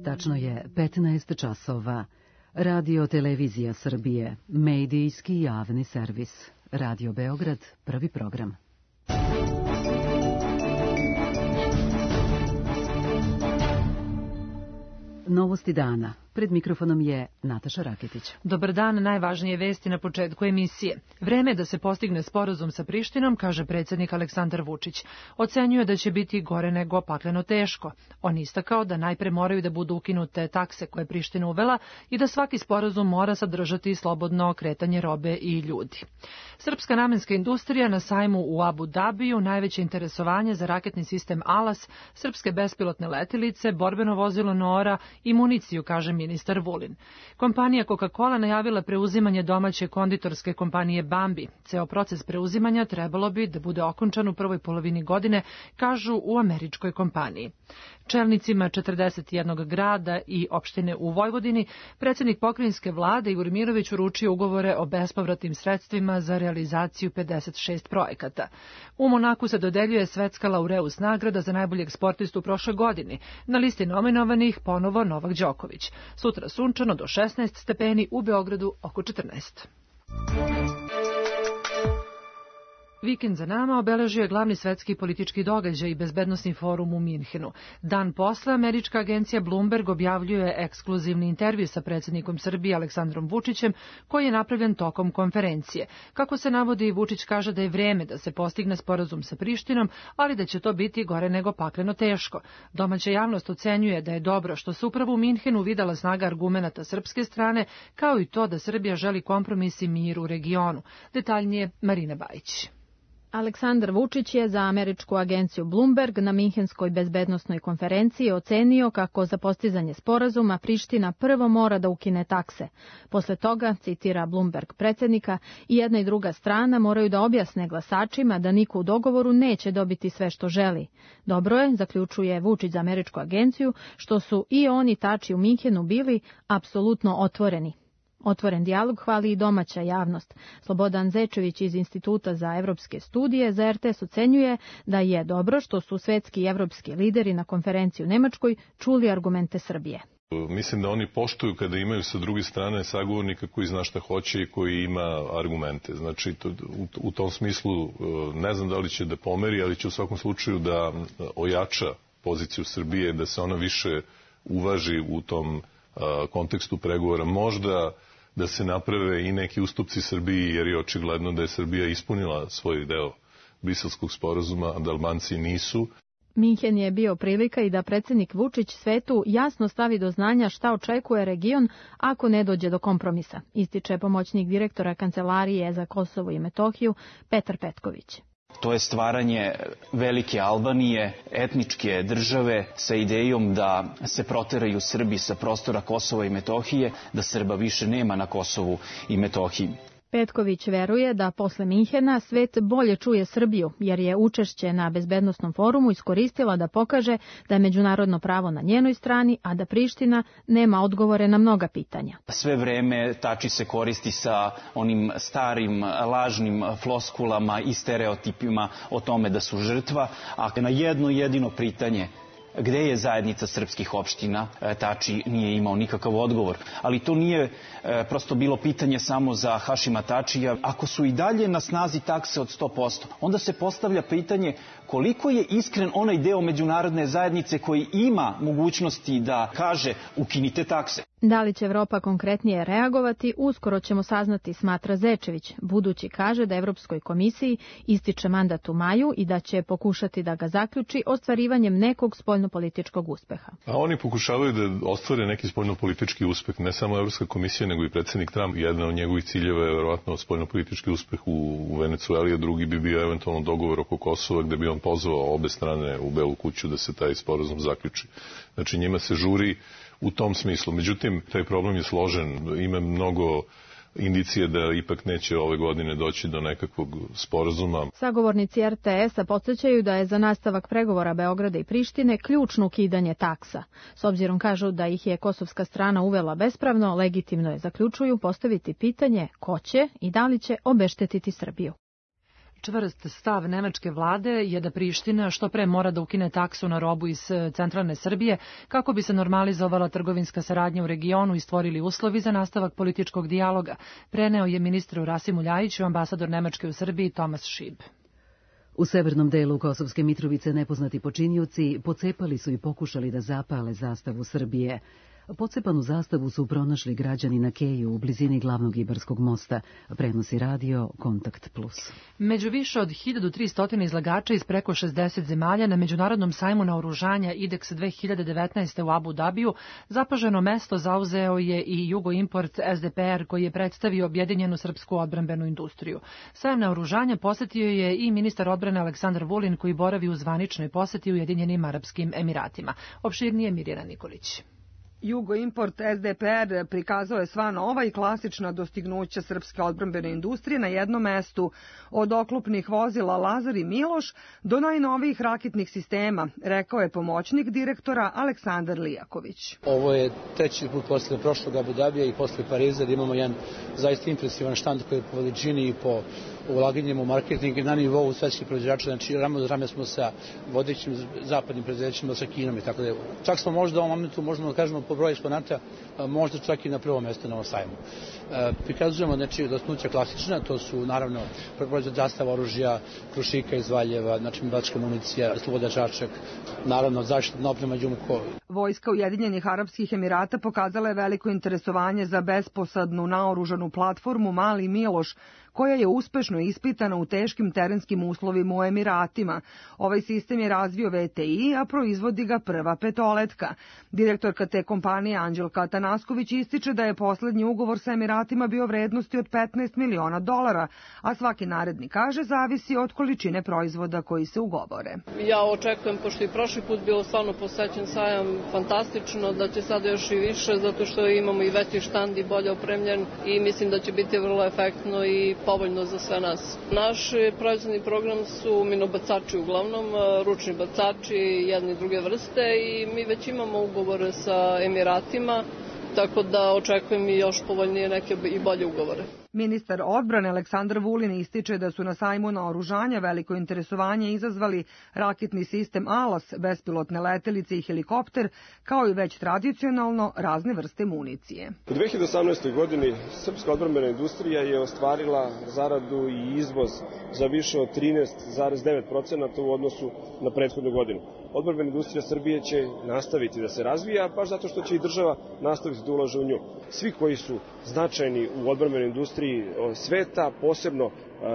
Tačno je 15 časova. Radio Televizija Srbije, medijski javni servis. Radio Beograd, prvi program. Novosti dana. Pred mikrofonom je Nataša Raketić. Dobar dan, najvažnije vesti na početku emisije. Vreme je da se postigne sporazum sa Prištinom, kaže predsjednik Aleksandar Vučić. Ocenjuje da će biti gore nego pakleno teško. On istakao da najpre moraju da budu ukinute takse koje je Priština uvela i da svaki sporazum mora sadržati slobodno kretanje robe i ljudi. Srpska namenska industrija na sajmu u Abu Dabiju, najveće interesovanje za raketni sistem Alas, srpske bespilotne letilice, borbeno vozilo Noora i municiju, kaže ministar Vulin. Kompanija Coca-Cola najavila preuzimanje domaće konditorske kompanije Bambi. Ceo proces preuzimanja trebalo bi da bude okončan u prvoj polovini godine, kažu u američkoj kompaniji. Čelnicima 41 grada i opštine u Vojvodini predsjednik pokrajinske vlade Igor Mirović uručio ugovore o bespovratnim sredstvima za realizaciju 56 projekata. U Monaku se dodeljuje svetska laureus nagrada za najboljeg sportistu u prošloj godini. Na listi nominovanih ponovo Novak Đoković. Sutra sunčano do 16 stepeni, u Beogradu oko 14. Vikend za nama obeležio je glavni svetski politički događaj i bezbednosni forum u Minhenu. Dan posle američka agencija Bloomberg objavljuje ekskluzivni intervju sa predsjednikom Srbije Aleksandrom Vučićem, koji je napravljen tokom konferencije. Kako se navodi, Vučić kaže da je vreme da se postigne sporazum sa Prištinom, ali da će to biti gore nego pakleno teško. Domaća javnost ocenjuje da je dobro što se upravo u Minhenu videla snaga argumenata srpske strane, kao i to da Srbija želi kompromis i mir u regionu. Detaljnije Marina Bajić. Aleksandar Vučić je za američku agenciju Bloomberg na Minhenskoj bezbednosnoj konferenciji ocenio kako za postizanje sporazuma Priština prvo mora da ukine takse. Posle toga, citira Bloomberg predsjednika, i jedna i druga strana moraju da objasne glasačima da niko u dogovoru neće dobiti sve što želi. Dobro je, zaključuje Vučić za američku agenciju, što su i oni tači u Minhenu bili apsolutno otvoreni. Otvoren dijalog hvali i domaća javnost. Slobodan Zečević iz Instituta za evropske studije za RTS ocenjuje da je dobro što su svetski i evropski lideri na konferenciji u Nemačkoj čuli argumente Srbije. Mislim da oni poštuju kada imaju sa druge strane sagovornika koji zna šta hoće i koji ima argumente. Znači, u tom smislu ne znam da li će da pomeri, ali će u svakom slučaju da ojača poziciju Srbije, da se ona više uvaži u tom kontekstu pregovora. Možda da se naprave i neki ustupci Srbiji, jer je očigledno da je Srbija ispunila svoj deo Briselskog sporazuma, a da Albanci nisu. Minhen je bio prilika i da predsjednik Vučić svetu jasno stavi do znanja šta očekuje region ako ne dođe do kompromisa, ističe pomoćnik direktora Kancelarije za Kosovo i Metohiju Petar Petković. To je stvaranje velike Albanije, etničke države sa idejom da se proteraju Srbi sa prostora Kosova i Metohije, da Srba više nema na Kosovu i Metohiji. Petković veruje da posle Minhena svet bolje čuje Srbiju, jer je učešće na bezbednosnom forumu iskoristila da pokaže da je međunarodno pravo na njenoj strani, a da Priština nema odgovore na mnoga pitanja. Sve vreme tači se koristi sa onim starim lažnim floskulama i stereotipima o tome da su žrtva, a na jedno jedino pitanje gde je zajednica srpskih opština, Tači nije imao nikakav odgovor. Ali to nije prosto bilo pitanje samo za Hašima Tačija. Ako su i dalje na snazi takse od 100%, onda se postavlja pitanje koliko je iskren onaj deo međunarodne zajednice koji ima mogućnosti da kaže ukinite takse. Da li će Evropa konkretnije reagovati, uskoro ćemo saznati, smatra Zečević. Budući kaže da Evropskoj komisiji ističe mandat u maju i da će pokušati da ga zaključi ostvarivanjem nekog spoljnopolitičkog uspeha. A oni pokušavaju da ostvare neki spoljnopolitički uspeh, ne samo Evropska komisija, nego i predsjednik Trump. Jedan od njegovih ciljeva je verovatno spoljnopolitički uspeh u Venecueli, a drugi bi bio eventualno dogovor oko Kosova, gde bi on pozvao obe strane u Belu kuću da se taj sporazum zaključi. Znači njima se žuri u tom smislu. Međutim, taj problem je složen. Ima mnogo indicije da ipak neće ove godine doći do nekakvog sporazuma. Sagovornici RTS-a podsjećaju da je za nastavak pregovora Beograda i Prištine ključno ukidanje taksa. S obzirom kažu da ih je kosovska strana uvela bespravno, legitimno je, zaključuju, postaviti pitanje ko će i da li će obeštetiti Srbiju. Čvrst stav nemačke vlade je da Priština što pre mora da ukine taksu na robu iz centralne Srbije kako bi se normalizovala trgovinska saradnja u regionu i stvorili uslovi za nastavak političkog dijaloga, preneo je ministru Rasimu Ljajiću ambasador Nemačke u Srbiji Tomas Šib. U severnom delu Kosovske Mitrovice nepoznati počinioci pocepali su i pokušali da zapale zastavu Srbije. Pocepanu zastavu su pronašli građani na Keju u blizini glavnog Ibarskog mosta, prenosi radio Kontakt Plus. Među više od 1300 izlagača iz preko 60 zemalja na Međunarodnom sajmu naoružanja IDEX 2019. u Abu Dabiju zapaženo mesto zauzeo je i Jugoimport SDPR koji je predstavio objedinjenu srpsku odbrambenu industriju. Sajam naoružanja posetio je i ministar odbrane Aleksandar Vulin koji boravi u zvaničnoj poseti Ujedinjenim Arapskim Emiratima. Opširnije Mirjana Nikolić. Jugoimport SDPR prikazao je sva nova i klasična dostignuća srpske odbrambene industrije na jednom mestu, od oklopnih vozila Lazar i Miloš do najnovijih raketnih sistema, rekao je pomoćnik direktora Aleksandar Lijaković. Ovo je treći put posle prošlog Abu Dabija i posle Pariza da imamo jedan zaista impresivan štand koji je po veličini i po ulaganjem u marketing na nivou svetskih proizvođača, znači rame uz rame smo sa vodećim zapadnim preduzećima, sa Kinom i tako da. Čak smo možda u ovom momentu, možemo da kažemo po broju eksponata, možda čak i na prvo mesto na ovom sajmu. Prikazujemo znači dostignuća klasična, to su naravno proizvod zastava oružja, Krušika iz Valjeva, znači metalska municija, Sloboda Čačak, naravno zaštitna oprema Đumko. Vojska Ujedinjenih Arapskih Emirata pokazala je veliko interesovanje za besposadnu naoružanu platformu Mali Miloš, koja je uspešno ispitana u teškim terenskim uslovima u Emiratima. Ovaj sistem je razvio VTI, a proizvodi ga Prva petoletka. Direktorka te kompanije Anđelka Atanasković ističe da je poslednji ugovor sa Emiratima bio vrednosti od $15 miliona, a svaki naredni, kaže, zavisi od količine proizvoda koji se ugovore. Ja očekujem, pošto i prošli put bilo stvarno posećen sajam, fantastično, da će sada još i više, zato što imamo i veći štand i bolje opremljen i mislim da će biti vrlo efektno i povoljno za sve nas. Naš proizvodni program su minobacači uglavnom, ručni bacači jedne i druge vrste i mi već imamo ugovore sa Emiratima, tako da očekujem i još povoljnije neke i bolje ugovore. Ministar odbrane Aleksandar Vulin ističe da su na sajmu naoružanja veliko interesovanje izazvali raketni sistem Alas, bespilotne letelice i helikopter, kao i već tradicionalno razne vrste municije. U 2018. godini srpska odbrambena industrija je ostvarila zaradu i izvoz za više od 13,9% u odnosu na prethodnu godinu. Odbrambena industrija Srbije će nastaviti da se razvija, baš zato što će i država nastaviti da ulaže u nju. Svi koji su značajni u odbrambenoj industriji sveta, posebno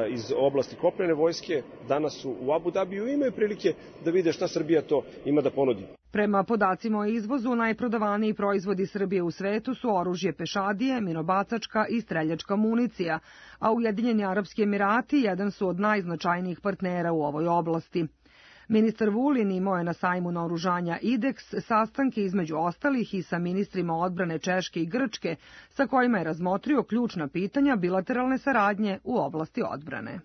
iz oblasti kopnene vojske, danas su u Abu Dabiju i imaju prilike da vide šta Srbija to ima da ponudi. Prema podacima o izvozu, najprodavaniji proizvodi Srbije u svetu su oružje pešadije, minobacačka i streljačka municija, a Ujedinjeni Arapski Emirati jedan su od najznačajnijih partnera u ovoj oblasti. Ministar Vulin imao je na sajmu naoružanja IDEX sastanke između ostalih i sa ministrima odbrane Češke i Grčke, sa kojima je razmotrio ključna pitanja bilateralne saradnje u oblasti odbrane.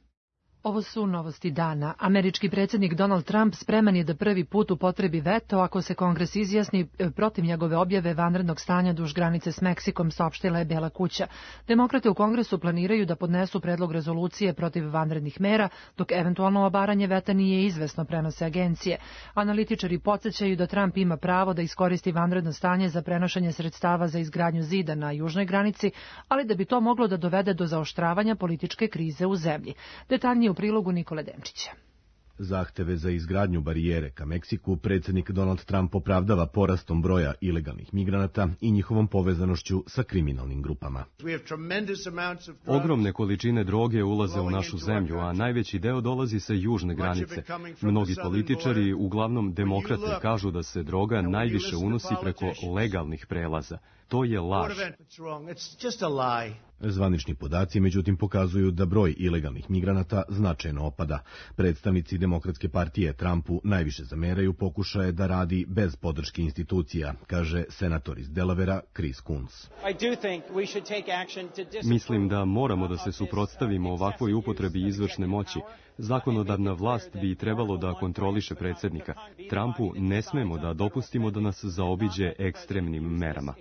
Ovo su novosti dana. Američki predsjednik Donald Trump spreman je da prvi put upotrebi veto ako se Kongres izjasni protiv njegove objave vanrednog stanja duž granice s Meksikom, saopštila je Bela kuća. Demokrate u Kongresu planiraju da podnesu predlog rezolucije protiv vanrednih mera, dok eventualno obaranje veta nije izvesno, prenose agencije. Analitičari podsjećaju da Trump ima pravo da iskoristi vanredno stanje za prenošenje sredstava za izgradnju zida na južnoj granici, ali da bi to moglo da dovede do zaoštravanja političke krize u zemlji. Detaljnije u prilogu Nikole Demčića. Zahteve za izgradnju barijere ka Meksiku predsjednik Donald Trump opravdava porastom broja ilegalnih migranata i njihovom povezanošću sa kriminalnim grupama. Ogromne količine droge ulaze u našu zemlju, a najveći deo dolazi sa južne granice. Mnogi političari, uglavnom demokrati, kažu da se droga najviše unosi preko legalnih prelaza. To je laž. Zvanični podaci, međutim, pokazuju da broj ilegalnih migranata značajno opada. Predstavnici Demokratske partije Trumpu najviše zameraju pokušaje da radi bez podrške institucija, kaže senator iz Delavera Chris Coons. Mislim da moramo da se suprotstavimo ovakvoj upotrebi izvršne moći. Zakonodavna vlast bi trebalo da kontroliše predsjednika. Trumpu ne smemo da dopustimo da nas zaobiđe ekstremnim merama.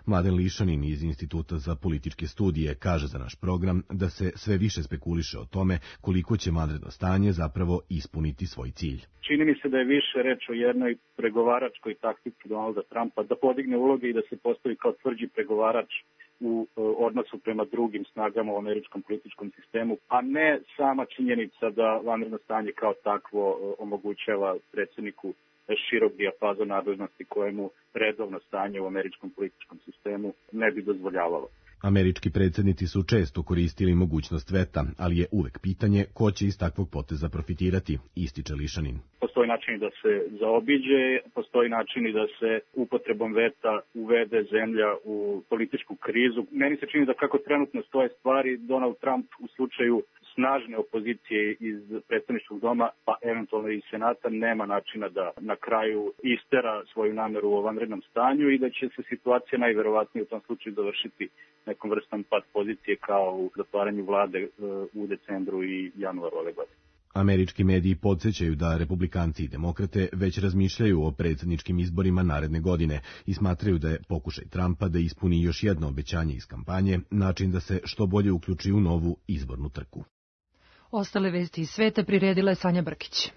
Mladen Lišanin iz Instituta za političke studije kaže za naš program da se sve više spekuliše o tome koliko će vanredno stanje zapravo ispuniti svoj cilj. Čini mi se da je više reč o jednoj pregovaračkoj taktici Donalda Trumpa da podigne uloge i da se postavi kao tvrđi pregovarač u odnosu prema drugim snagama u američkom političkom sistemu, a ne sama činjenica da vanredno stanje kao takvo omogućava predsjedniku širok dijapazon nadležnosti kojemu redovno stanje u američkom političkom sistemu ne bi dozvoljavalo. Američki predsjednici su često koristili mogućnost veta, ali je uvek pitanje ko će iz takvog poteza profitirati, ističe Lišanin. Postoji način da se zaobiđe, postoji način da se upotrebom veta uvede zemlja u političku krizu. Meni se čini da kako trenutno stoje stvari, Donald Trump u slučaju snažne opozicije iz predstavničkog doma, pa eventualno i senata, nema načina da na kraju istera svoju nameru u vanrednom stanju i da će se situacija najverovatnije u tom slučaju završiti nekom vrstom pad pozicije kao u zatvaranju vlade u decembru i januaru ove godine. Američki mediji podsjećaju da republikanci i demokrate već razmišljaju o predsjedničkim izborima naredne godine i smatraju da je pokušaj Trumpa da ispuni još jedno obećanje iz kampanje način da se što bolje uključi u novu izbornu trku. Ostale vesti iz sveta priredila je Sanja Brkić.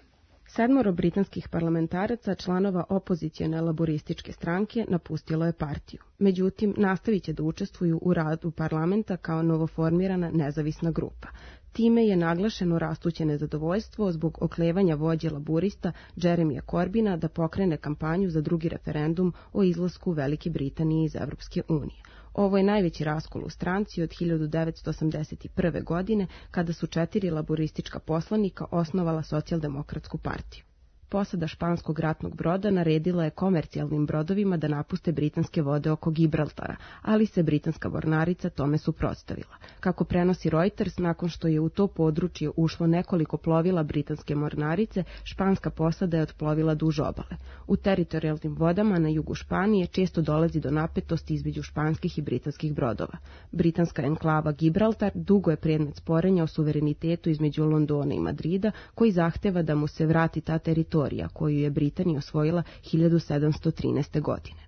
7 britanskih parlamentaraca, članova opozicione laborističke stranke, napustilo je partiju. Međutim, nastavit će da učestvuju u radu parlamenta kao novoformirana nezavisna grupa. Time je naglašeno rastuće nezadovoljstvo zbog oklevanja vođe laburista Jeremija Corbina da pokrene kampanju za drugi referendum o izlasku Velike Britanije iz Evropske unije. Ovo je najveći raskol u stranci od 1981. godine, kada su 4 laboristička poslanika osnovala Socijaldemokratsku partiju. Posada španskog ratnog broda naredila je komercijalnim brodovima da napuste britanske vode oko Gibraltara, ali se britanska mornarica tome suprotstavila. Kako prenosi Reuters, nakon što je u to područje ušlo nekoliko plovila britanske mornarice, španska posada je otplovila duž obale. U teritorijalnim vodama na jugu Španije često dolazi do napetosti između španskih i britanskih brodova. Britanska enklava Gibraltar dugo je predmet sporenja o suverenitetu između Londona i Madrida, koji zahteva da mu se vrati ta teritorija koju je Britanija osvojila 1713. godine.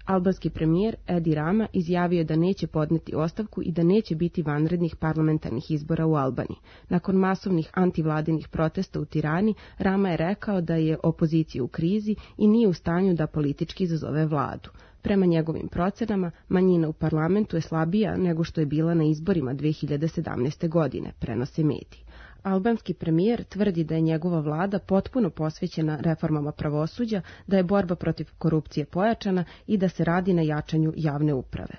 Albanski premijer Edi Rama izjavio je da neće podneti ostavku i da neće biti vanrednih parlamentarnih izbora u Albaniji. Nakon masovnih antivladinih protesta u Tirani, Rama je rekao da je opozicija u krizi i nije u stanju da politički izazove vladu. Prema njegovim procenama, manjina u parlamentu je slabija nego što je bila na izborima 2017. godine, prenose mediji. Albanski premijer tvrdi da je njegova vlada potpuno posvećena reformama pravosuđa, da je borba protiv korupcije pojačana i da se radi na jačanju javne uprave.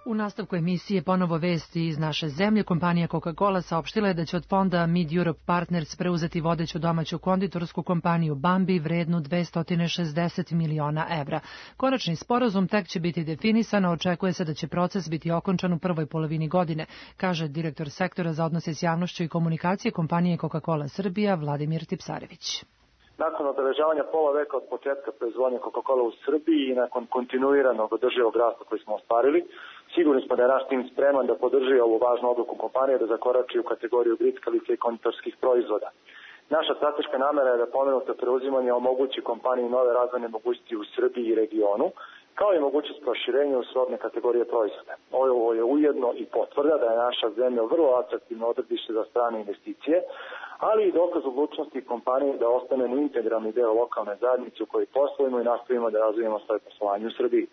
U nastavku emisije ponovo vesti iz naše zemlje. Kompanija Coca-Cola saopštila je da će od fonda Mid Europe Partners preuzeti vodeću domaću konditorsku kompaniju Bambi vrednu 260 miliona evra. Konačni sporazum tek će biti definisan, a očekuje se da će proces biti okončan u prvoj polovini godine, kaže direktor sektora za odnose s javnošću i komunikacije kompanije Coca-Cola Srbija Vladimir Tipsarević. Nakon obeležavanja pola veka od početka proizvodnje Coca-Cola u Srbiji i nakon kontinuiranog održivog rasta koji smo ostvarili, sigurni smo da je naš tim spreman da podrži ovu važnu odluku kompanije da zakorači u kategoriju grickalica i konditorskih proizvoda. Naša strateška namera je da pomenuto preuzimanje omogući kompaniji nove razvojne mogućnosti u Srbiji i regionu, kao i mogućnost proširenja u srodne kategorije proizvoda. Ovo je ujedno i potvrda da je naša zemlja vrlo atraktivno odredište za strane investicije, ali i dokaz odlučnosti kompanije da ostane integralni deo lokalne zajednice u kojoj poslujemo i nastavimo da razvijemo svoje poslovanje u Srbiji.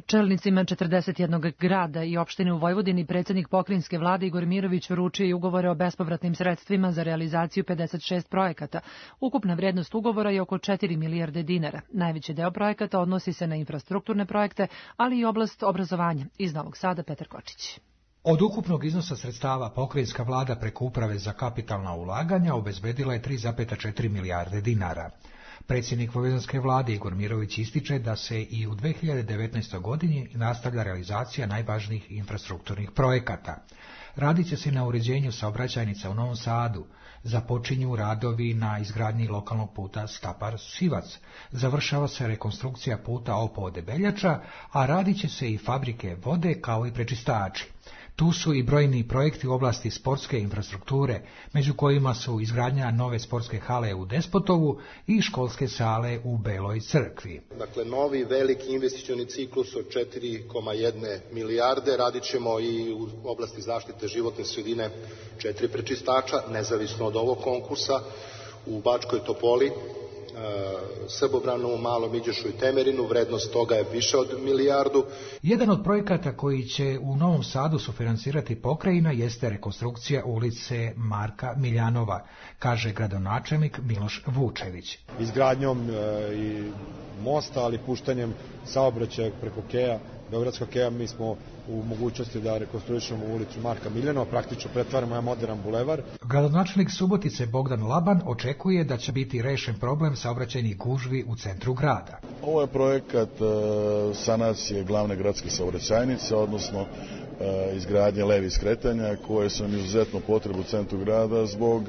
Čelnicima 41 grada i opštine u Vojvodini predsjednik pokrajinske vlade Igor Mirović uručio i ugovore o bespovratnim sredstvima za realizaciju 56 projekata. Ukupna vrijednost ugovora je oko 4 milijarde dinara. Najveći deo projekata odnosi se na infrastrukturne projekte, ali i oblast obrazovanja. Iz Novog Sada Petar Kočić. Od ukupnog iznosa sredstava pokrajinska vlada preko Uprave za kapitalna ulaganja obezbedila je 3,4 milijarde dinara. Predsjednik vojvođanske vlade Igor Mirović ističe da se i u 2019. godini nastavlja realizacija najvažnijih infrastrukturnih projekata. Radit će se na uređenju saobraćajnica u Novom Sadu, započinju radovi na izgradnji lokalnog puta Stapar-Sivac, završava se rekonstrukcija puta Opova-Debeljača, a radit će se i fabrike vode kao i prečistači. Tu su i brojni projekti u oblasti sportske infrastrukture, među kojima su izgradnja nove sportske hale u Despotovu i školske sale u Beloj Crkvi. Dakle, novi veliki investicioni ciklus od 4,1 milijarde. Radit ćemo i u oblasti zaštite životne sredine 4 prečistača, nezavisno od ovog konkursa, u Bačkoj Topoli, Srbobranu, Malom Iđošu i Temerinu, vrednost toga je više od milijardu. Jedan od projekata koji će u Novom Sadu sufinansirati pokrajina jeste rekonstrukcija ulice Marka Miljanova, kaže gradonačelnik Miloš Vučević. Izgradnjom i mosta, ali puštanjem saobraćaja preko Keja, Beogradskog Keja, mi smo u mogućnosti da rekonstruišemo ulicu Marka Miljanova, praktično pretvaramo jedan modern bulevar. Gradonačelnik Subotice Bogdan Laban očekuje da će biti rešen problem saobraćajnih gužvi u centru grada. Ovo je projekat sanacije glavne gradske saobraćajnice, odnosno izgradnje levih skretanja koje su nam izuzetno potrebu u centru grada zbog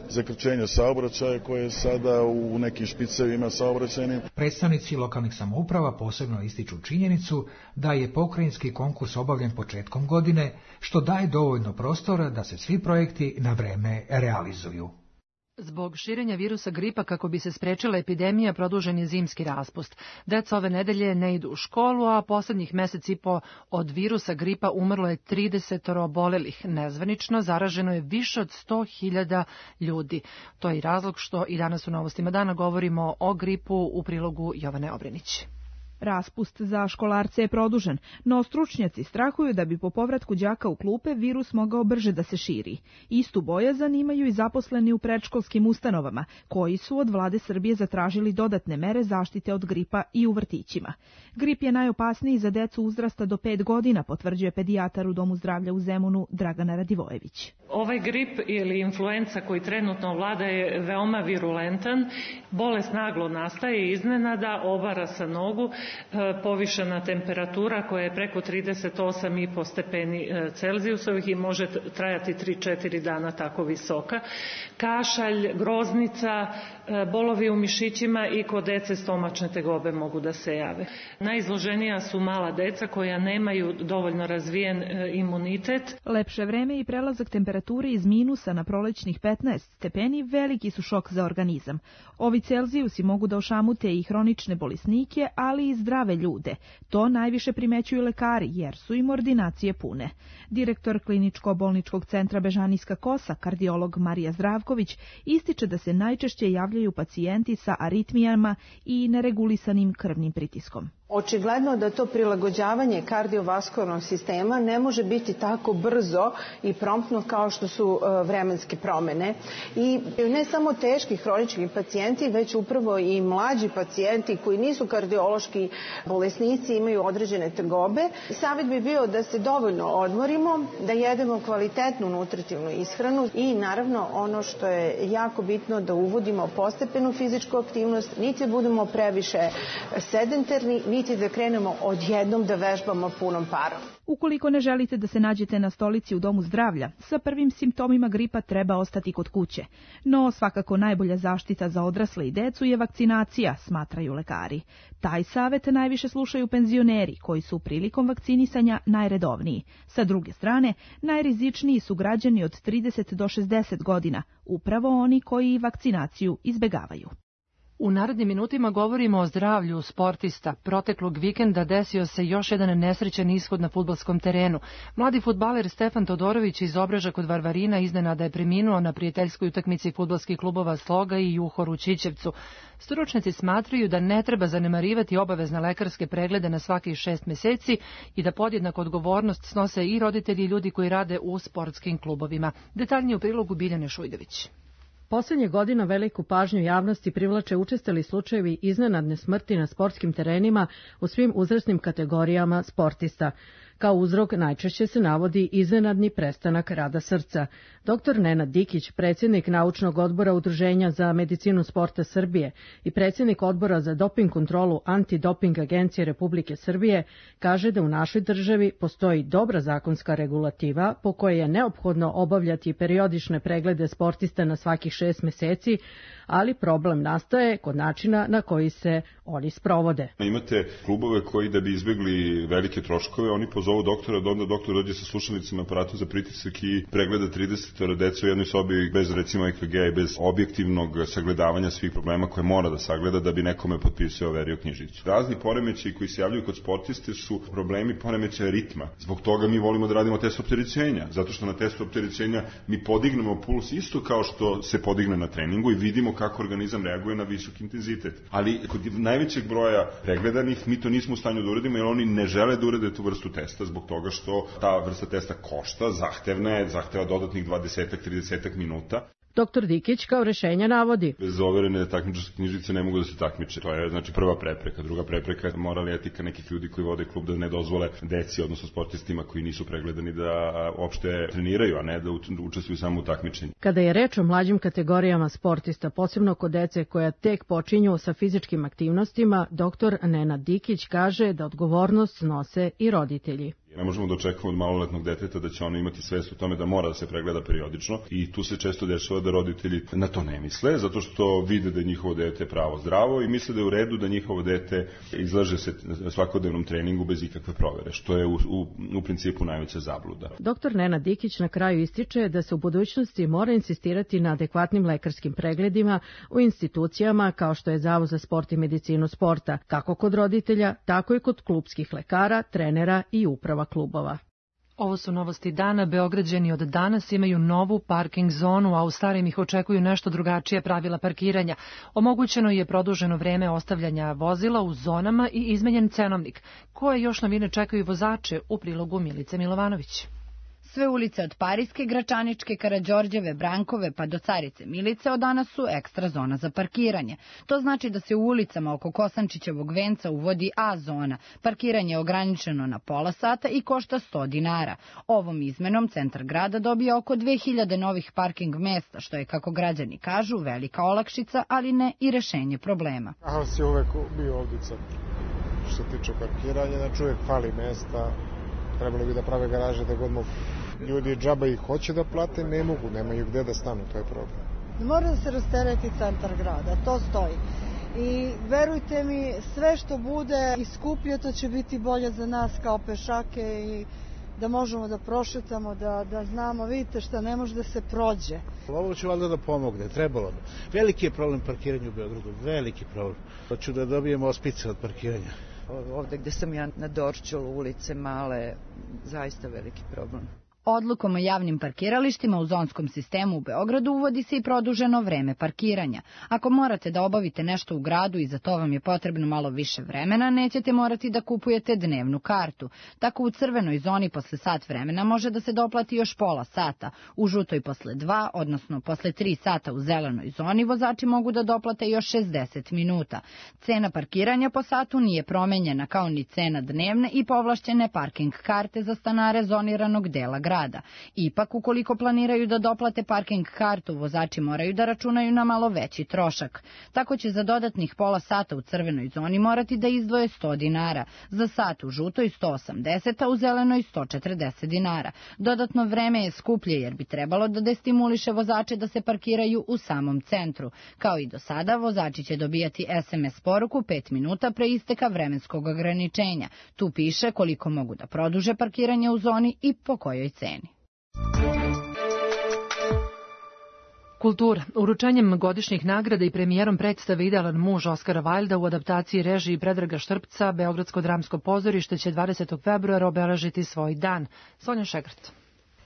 zakrčenja saobraćaja koje je sada u nekim špicevima saobraćajnim. Predstavnici lokalnih samouprava posebno ističu činjenicu da je pokrajinski konkurs obavljen početkom godine, što daje dovoljno prostora da se svi projekti na vreme realizuju. Zbog širenja virusa gripa kako bi se sprečila epidemija, produžen je zimski raspust. Deca ove nedelje ne idu u školu, a poslednjih mesec i po od virusa gripa umrlo je 30 obolelih. Nezvanično zaraženo je više od 100.000 ljudi. To je i razlog što i danas u Novostima dana govorimo o gripu u prilogu Jovane Obrenić. Raspust za školarce je produžen, no stručnjaci strahuju da bi po povratku đaka u klupe virus mogao brže da se širi. Istu bojazan imaju i zaposleni u predškolskim ustanovama, koji su od vlade Srbije zatražili dodatne mere zaštite od gripa i u vrtićima. Grip je najopasniji za decu uzrasta do 5 godina, potvrđuje pedijatar u Domu zdravlja u Zemunu Dragana Radivojević. Ovaj grip ili influenca koji trenutno vlada je veoma virulentan, bolest naglo nastaje iznenada, obara sa nogu, povišena temperatura koja je preko 38,5 stepeni Celzijusovih i može trajati 3-4 dana tako visoka. Kašalj, groznica, bolovi u mišićima i kod dece stomačne tegobe mogu da se jave. Najizloženija su mala deca koja nemaju dovoljno razvijen imunitet. Lepše vreme i prelazak temperature iz minusa na prolećnih 15 stepeni veliki su šok za organizam. Ovi Celzijusi mogu da ošamute i hronične bolesnike, ali i zdrave ljude. To najviše primećuju lekari, jer su im ordinacije pune. Direktor Kliničko-bolničkog centra Bežanijska kosa, kardiolog Marija Zdravković, ističe da se najčešće javljaju pacijenti sa aritmijama i neregulisanim krvnim pritiskom. Očigledno da to prilagođavanje kardiovaskularnog sistema ne može biti tako brzo i promptno kao što su vremenske promene. I ne samo teški hronični pacijenti, već upravo i mlađi pacijenti koji nisu kardiološki bolesnici, imaju određene tegobe. Savjet bi bio da se dovoljno odmorimo, da jedemo kvalitetnu nutritivnu ishranu i naravno ono što je jako bitno da uvodimo postepenu fizičku aktivnost, niti budemo previše sedentarni, niti da krenemo odjednom da vežbamo punom parom. Ukoliko ne želite da se nađete na stolici u Domu zdravlja, sa prvim simptomima gripa treba ostati kod kuće. No, svakako najbolja zaštita za odrasle i decu je vakcinacija, smatraju lekari. Taj savet najviše slušaju penzioneri, koji su prilikom vakcinisanja najredovniji. Sa druge strane, najrizičniji su građani od 30 do 60 godina, upravo oni koji vakcinaciju izbegavaju. U narednim minutima govorimo o zdravlju sportista. Proteklog vikenda desio se još jedan nesrećan ishod na fudbalskom terenu. Mladi fudbaler Stefan Todorović iz Obreža kod Varvarina iznenada je preminuo na prijateljskoj utakmici fudbalskih klubova Sloga i Juhor u Ćićevcu. Stručnjaci smatraju da ne treba zanemarivati obavezne lekarske preglede na svakih 6 meseci i da podjednako odgovornost snose i roditelji i ljudi koji rade u sportskim klubovima. Detaljnije u prilogu Biljane Šujdović. Poslednjih godina veliku pažnju javnosti privlače učestali slučajevi iznenadne smrti na sportskim terenima u svim uzrasnim kategorijama sportista. Kao uzrok najčešće se navodi iznenadni prestanak rada srca. Dr. Nenad Dikić, predsjednik Naučnog odbora Udruženja za medicinu sporta Srbije i predsjednik odbora za doping kontrolu Antidoping agencije Republike Srbije, kaže da u našoj državi postoji dobra zakonska regulativa po kojoj je neophodno obavljati periodične preglede sportista na svakih 6 meseci, ali problem nastaje kod načina na koji se oni sprovode. Imate klubove koji da bi izbjegli velike troškove, oni pozovu doktora, da onda doktor dođe sa slušalicama aparatu za pritisak i pregleda 30 dece u jednoj sobi bez recimo EKG-a i bez objektivnog sagledavanja svih problema koje mora da sagleda da bi nekome potpisao overio knjižicu. Razni poremećaji koji se javljaju kod sportiste su problemi poremećaja ritma. Zbog toga mi volimo da radimo test opterećenja, zato što na testu opterećenja mi podignemo puls isto kao što se podigne na treningu i vidimo kako organizam reaguje na visok intenzitet. Ali kod najvećeg broja pregledanih mi to nismo u stanju da uradimo jer oni ne žele da urade tu vrstu testa zbog toga što ta vrsta testa košta, zahteva dodatnih 20-30 minuta. Dr. Dikić kao rešenja navodi: bez overene takmičarske knjižice ne mogu da se takmiče. To je znači prva prepreka. Druga prepreka je moralna etika nekih ljudi koji vode klub da ne dozvole deci, odnosno sportistima koji nisu pregledani da uopšte treniraju, a ne da učestvuju samo u takmičenju. Kada je reč o mlađim kategorijama sportista, posebno kod dece koja tek počinju sa fizičkim aktivnostima, dr. Nenad Dikić kaže da odgovornost snose i roditelji. Ne možemo da očekujemo od maloletnog deteta da će ono imati svest o tome da mora da se pregleda periodično i tu se često dešava da roditelji na to ne misle, zato što vide da je njihovo dete pravo zdravo i misle da je u redu da njihovo dete izlaže se svakodnevnom treningu bez ikakve provere, što je u principu najveća zabluda. Dr. Nenad Dikić na kraju ističe da se u budućnosti mora insistirati na adekvatnim lekarskim pregledima u institucijama kao što je Zavod za sport i medicinu sporta, kako kod roditelja, tako i kod klupskih lekara, trenera i uprava klubova. Ovo su novosti dana. Beograđani od danas imaju novu parking zonu, a u starim ih očekuju nešto drugačije pravila parkiranja. Omogućeno je produženo vreme ostavljanja vozila u zonama i izmenjen cenovnik. Koje još novine čekaju vozače u prilogu Milice Milovanović? Sve ulice od Parijske, Gračaničke, Karađorđeve, Brankove pa do Carice Milice od danas su ekstra zona za parkiranje. To znači da se u ulicama oko Kosančićevog venca uvodi A zona. Parkiranje je ograničeno na pola sata i košta 100 dinara. Ovom izmenom centar grada dobija oko 2000 novih parking mesta, što je, kako građani kažu, velika olakšica, ali ne i rešenje problema. Haos je uvek bio ovdje što se tiče parkiranja, znači uvek fali mesta. Trebalo bi da prave garaže da god mogu. Ljudi džaba ih hoće da plate, ne mogu, nemaju gde da stanu, to je problem. Mora da se rastereti centar grada, to stoji. I verujte mi, sve što bude i skuplje, to će biti bolje za nas kao pešake i da možemo da prošetamo, da znamo, vidite šta ne može da se prođe. Ovo će valjda da pomogne, trebalo bi. Veliki je problem parkiranja u Beogradu, veliki problem. Hoću da dobijemo ospice od parkiranja. Ovde gde sam ja na Dorćolu, ulice male, zaista veliki problem. Odlukom o javnim parkiralištima u zonskom sistemu u Beogradu uvodi se i produženo vreme parkiranja. Ako morate da obavite nešto u gradu i za to vam je potrebno malo više vremena, nećete morati da kupujete dnevnu kartu. Tako u crvenoj zoni posle sat vremena može da se doplati još pola sata. U žutoj posle 2, odnosno posle 3 sata u zelenoj zoni vozači mogu da doplate još 60 minuta. Cena parkiranja po satu nije promenjena, kao ni cena dnevne i povlašćene parking karte za stanare zoniranog dela grada. Ipak, ukoliko planiraju da doplate parking kartu, vozači moraju da računaju na malo veći trošak. Tako će za dodatnih pola sata u crvenoj zoni morati da izdvoje 100 dinara, za sat u žutoj 180, a u zelenoj 140 dinara. Dodatno vreme je skuplje jer bi trebalo da destimuliše vozače da se parkiraju u samom centru. Kao i do sada, vozači će dobijati SMS poruku 5 minuta pre isteka vremenskog ograničenja. Tu piše koliko mogu da produže parkiranje u zoni i po kojoj ceni. Kultura. Uručenjem godišnjih nagrada i premijerom predstave Idealan muž Oskara Wilda u adaptaciji režiji Predraga Štrpca, Beogradsko dramsko pozorište će 20. februara obeležiti svoj dan. Sonja Šegrt.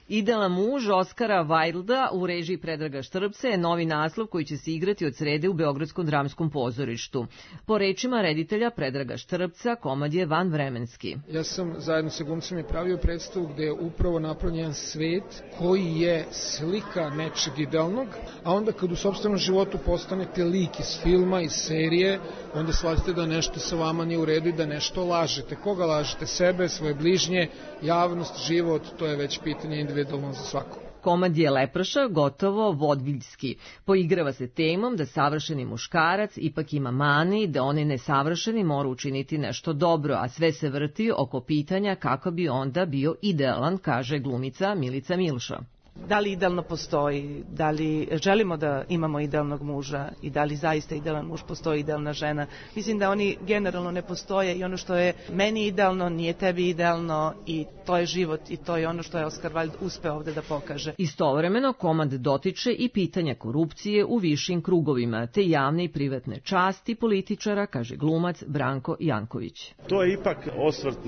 Idealan muž Oskara Wilda u režiji Predraga Štrpca je novi naslov koji će se igrati od srede u Beogradskom dramskom pozorištu. Po rečima reditelja Predraga Štrpca, komad je vanvremenski. Ja sam zajedno sa glumcem i pravio predstavu gde je upravo napravljen svet koji je slika nečeg idealnog, a onda kad u sopstvenom životu postanete lik iz filma, iz serije, onda shvatite da nešto sa vama nije u redu i da nešto lažete. Koga lažete? Sebe, svoje bližnje, javnost, život, to je već pitanje individualno za svako. Komad je leprša, gotovo vodviljski. Poigrava se temom da savršeni muškarac ipak ima mani, da onaj nesavršeni mora učiniti nešto dobro, a sve se vrti oko pitanja kako bi onda bio idealan, kaže glumica Milica Milša. Da li idealno postoji, da li želimo da imamo idealnog muža i da li zaista idealan muž postoji, idealna žena. Mislim da oni generalno ne postoje i ono što je meni idealno nije tebi idealno i to je život i to je ono što je Oskar Wilde uspeo ovde da pokaže. Istovremeno komad dotiče i pitanja korupcije u višim krugovima, te javne i privatne časti političara, kaže glumac Branko Janković. To je ipak osvrt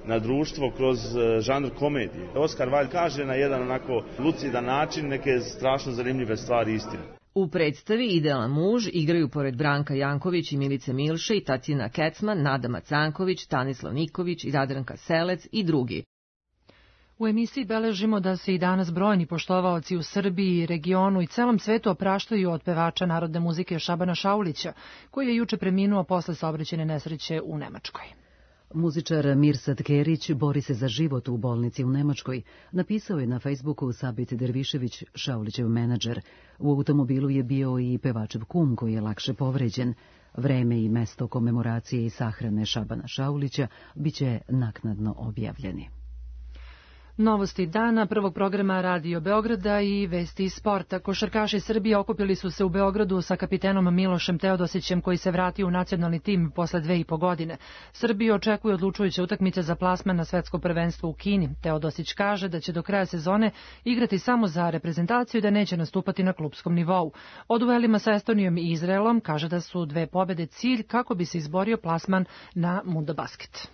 na društvo kroz žanr komedije. Oskar Wilde kaže na jedan onako lucidan način neke strašno zanimljive stvari istine. U predstavi Idealan muž igraju pored Branka Janković i Milice Milše i Tatjana Kecman, Nada Macanković, Tanislav Niković i Jadranka Selec i drugi. U emisiji beležimo da se i danas brojni poštovaoci u Srbiji, regionu i celom svetu opraštaju od pevača narodne muzike Šabana Šaulića, koji je juče preminuo posle saobraćajne nesreće u Nemačkoj. Muzičar Mirsad Kerić bori se za život u bolnici u Nemačkoj. Napisao je na Facebooku Sabit Dervišević, Šaulićev menadžer. U automobilu je bio i pevačev kum koji je lakše povređen. Vreme i mesto komemoracije i sahrane Šabana Šaulića biće naknadno objavljeni. Novosti dana prvog programa Radio Beograda i vesti iz sporta. Košarkaši Srbije okupili su se u Beogradu sa kapitenom Milošem Teodosićem koji se vratio u nacionalni tim posle 2,5 godine. Srbiju očekuje odlučujuća utakmica za plasman na svetsko prvenstvo u Kini. Teodosić kaže da će do kraja sezone igrati samo za reprezentaciju i da neće nastupati na klupskom nivou. O duelima sa Estonijom i Izraelom kaže da su 2 pobede cilj kako bi se izborio plasman na Mundobasket.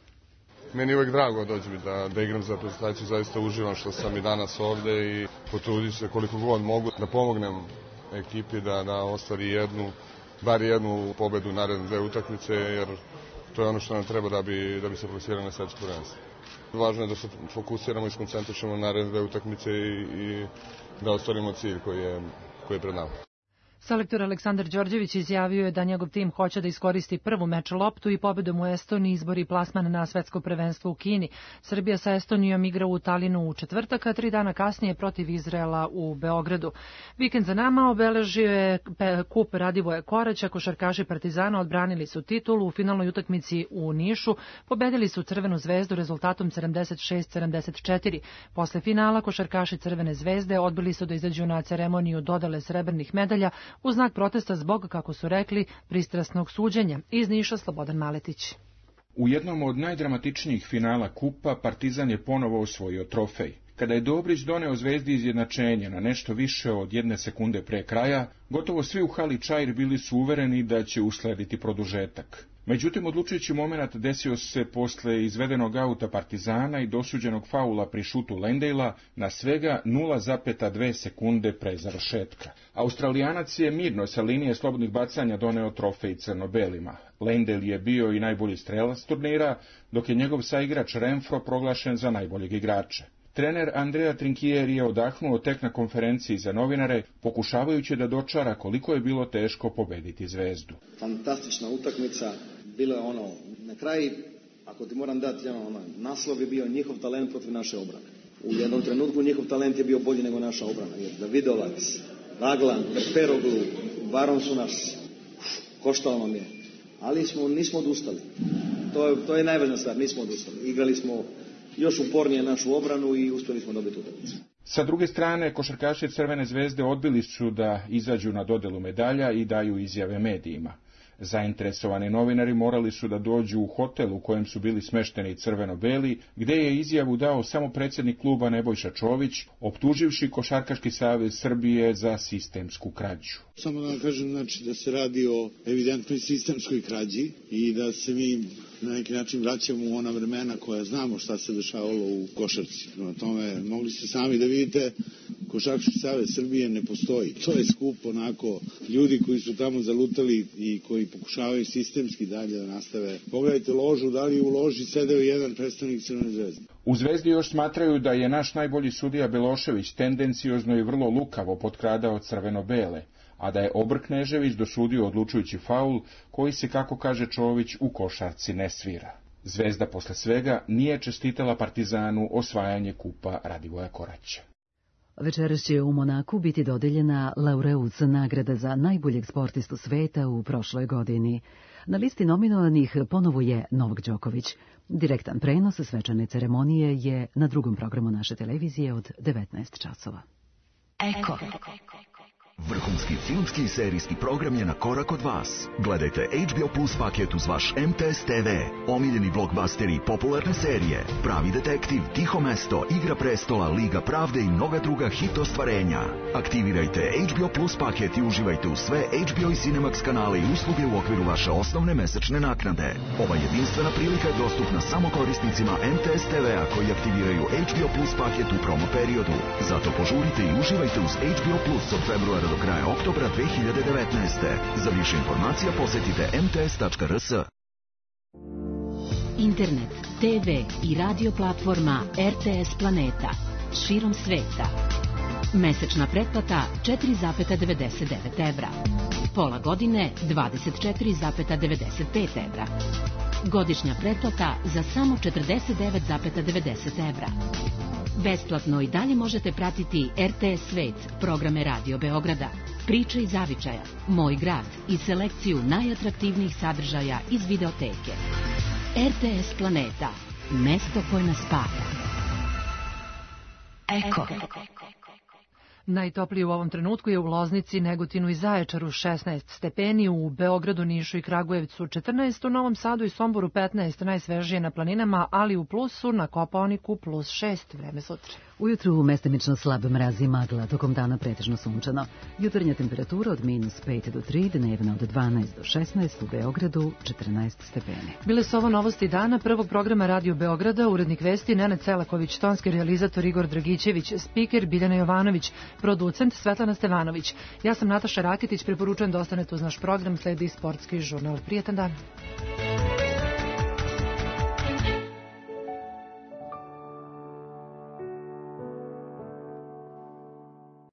Meni je uvek drago dođem da igram za reprezentaciju, zaista uživam što sam i danas ovde i potrudit se koliko god mogu da pomognem ekipi da ostvari bar jednu pobedu naredne 2 utakmice, jer to je ono što nam treba da bi se plasirali na svetsko prvenstvo. Važno je da se fokusiramo i skoncentrišemo na naredne 2 utakmice i da ostvarimo cilj koji je pred nama. Selektor Aleksandar Đorđević izjavio je da njegov tim hoće da iskoristi prvu meč loptu i pobedom u Estoniji izbori plasman na svetsko prvenstvo u Kini. Srbija sa Estonijom igra u Talinu u četvrtak, a 3 dana kasnije protiv Izraela u Beogradu. Vikend za nama obeležio je kup Radivoja Koraća, košarkaši Partizana odbranili su titulu u finalnoj utakmici u Nišu, pobedili su Crvenu zvezdu rezultatom 76-74. Posle finala košarkaši Crvene zvezde odbili su da izađu na ceremoniju dodele srebrnih medalja u znak protesta zbog, kako su rekli, pristrasnog suđenja. Iz Niša Slobodan Maletić. U jednom od najdramatičnijih finala kupa Partizan je ponovo osvojio trofej. Kada je Dobrić doneo Zvezdi izjednačenje na nešto više od 1 sekunde pre kraja, gotovo svi u hali Čair bili su uvereni da će uslediti produžetak. Međutim, odlučujući moment desio se posle izvedenog auta Partizana i dosuđenog faula pri šutu Lendejla na svega 0,2 sekunde pre završetka. Australijanac je mirno sa linije slobodnih bacanja doneo trofej crno-belima. Lendejl je bio i najbolji strelac turnira, dok je njegov saigrač Renfro proglašen za najboljeg igrača. Trener Andrea Trinkieri je odahnuo tek na konferenciji za novinare, pokušavajući da dočara koliko je bilo teško pobediti Zvezdu. Fantastična utakmica, bilo je na kraju, ako ti moram dati, naslov je bio njihov talent protiv naše obrane. U jednom trenutku njihov talent je bio bolji nego naša obrana, jer Davidovac, Raglan, Peroglu, Baron su nas, koštalo nam je, ali nismo odustali. To je najvažnija stvar, nismo odustali. Igrali smo još upornije našu obranu i uspjeli smo dobiti utakmicu. Sa druge strane, košarkaši Crvene zvezde odbili su da izađu na dodelu medalja i daju izjave medijima. Zainteresovani novinari morali su da dođu u hotel u kojem su bili smešteni crveno-beli, gde je izjavu dao samo predsjednik kluba Nebojša Čović, optuživši Košarkaški savez Srbije za sistemsku krađu. Samo da vam kažem, da se radi o evidentnoj sistemskoj krađi i da se mi na neki način vraćamo u ona vremena koja znamo šta se dešavalo u košarci. Prema tome, mogli ste sami da vidite, Košarkaški savez Srbije ne postoji. To je skup ljudi koji su tamo zalutali i koji pokušavaju sistemski dalje da nastave. Pogledajte ložu, da li u loži sedeo jedan predstavnik Crvene zvezde. U Zvezdi još smatraju da je naš najbolji sudija Belošević tendenciozno i vrlo lukavo potkradao crveno-bele, a da je Obr Knežević dosudio odlučujući faul koji se, kako kaže Čović, u košarci ne svira. Zvezda posle svega nije čestitala Partizanu osvajanje kupa Radivoja Koraća. Večeras će u Monaku biti dodeljena Laureus nagrada za najboljeg sportistu sveta u prošloj godini. Na listi nominovanih ponovo je Novak Đoković. Direktan prenos svečane ceremonije je na drugom programu naše televizije od 19 časova. Eko. Vrhunski filmski i serijski program je na korak od vas. Gledajte HBO Plus paket uz vaš MTS TV, omiljeni blockbusteri i popularne serije, Pravi detektiv, Tiho mesto, Igra prestola, Liga pravde i mnoga druga hit ostvarenja. Aktivirajte HBO Plus paket i uživajte u sve HBO i Cinemax kanale i usluge u okviru vaše osnovne mesečne naknade. Ova jedinstvena prilika je dostupna samo korisnicima MTS TV-a koji aktiviraju HBO Plus paket u promo periodu. Zato požurite i uživajte uz HBO Plus od februara do kraja oktobra 2019. Za više informacija posetite mts.rs. Internet, TV i radio platforma RTS Planeta. Širom sveta. Mesečna pretplata 4,99 evra. Pola godine 24,95 evra. Godišnja pretplata za samo 49,90 evra. Besplatno i dalje možete pratiti RTS Svet, programe Radio Beograda, Priče iz zavičaja, Moj grad i selekciju najatraktivnijih sadržaja iz videoteke. RTS Planeta, mesto koje nas spaja. Eko. Najtoplije u ovom trenutku je u Loznici, Negotinu i Zaječaru 16 stepeni, u Beogradu, Nišu i Kragujevcu 14, u Novom Sadu i Somboru 15, najsvežije na planinama, ali u plusu na Kopaoniku plus 6, vreme sutra. Ujutru mestimično slab mraz i magla, tokom dana pretežno sunčano. Jutarnja temperatura od -5 do 3, dnevna od 12 do 16, u Beogradu 14 stepeni. Bile su ovo novosti dana prvog programa Radio Beograda, urednik vesti Nenad Selaković, tonski realizator Igor Dragićević, spiker Biljana Jovanović, producent Svetlana Stevanović. Ja sam Nataša Rakitić, preporučujem da ostanete uz naš program, sledi sportski žurnal. Prijetan dan.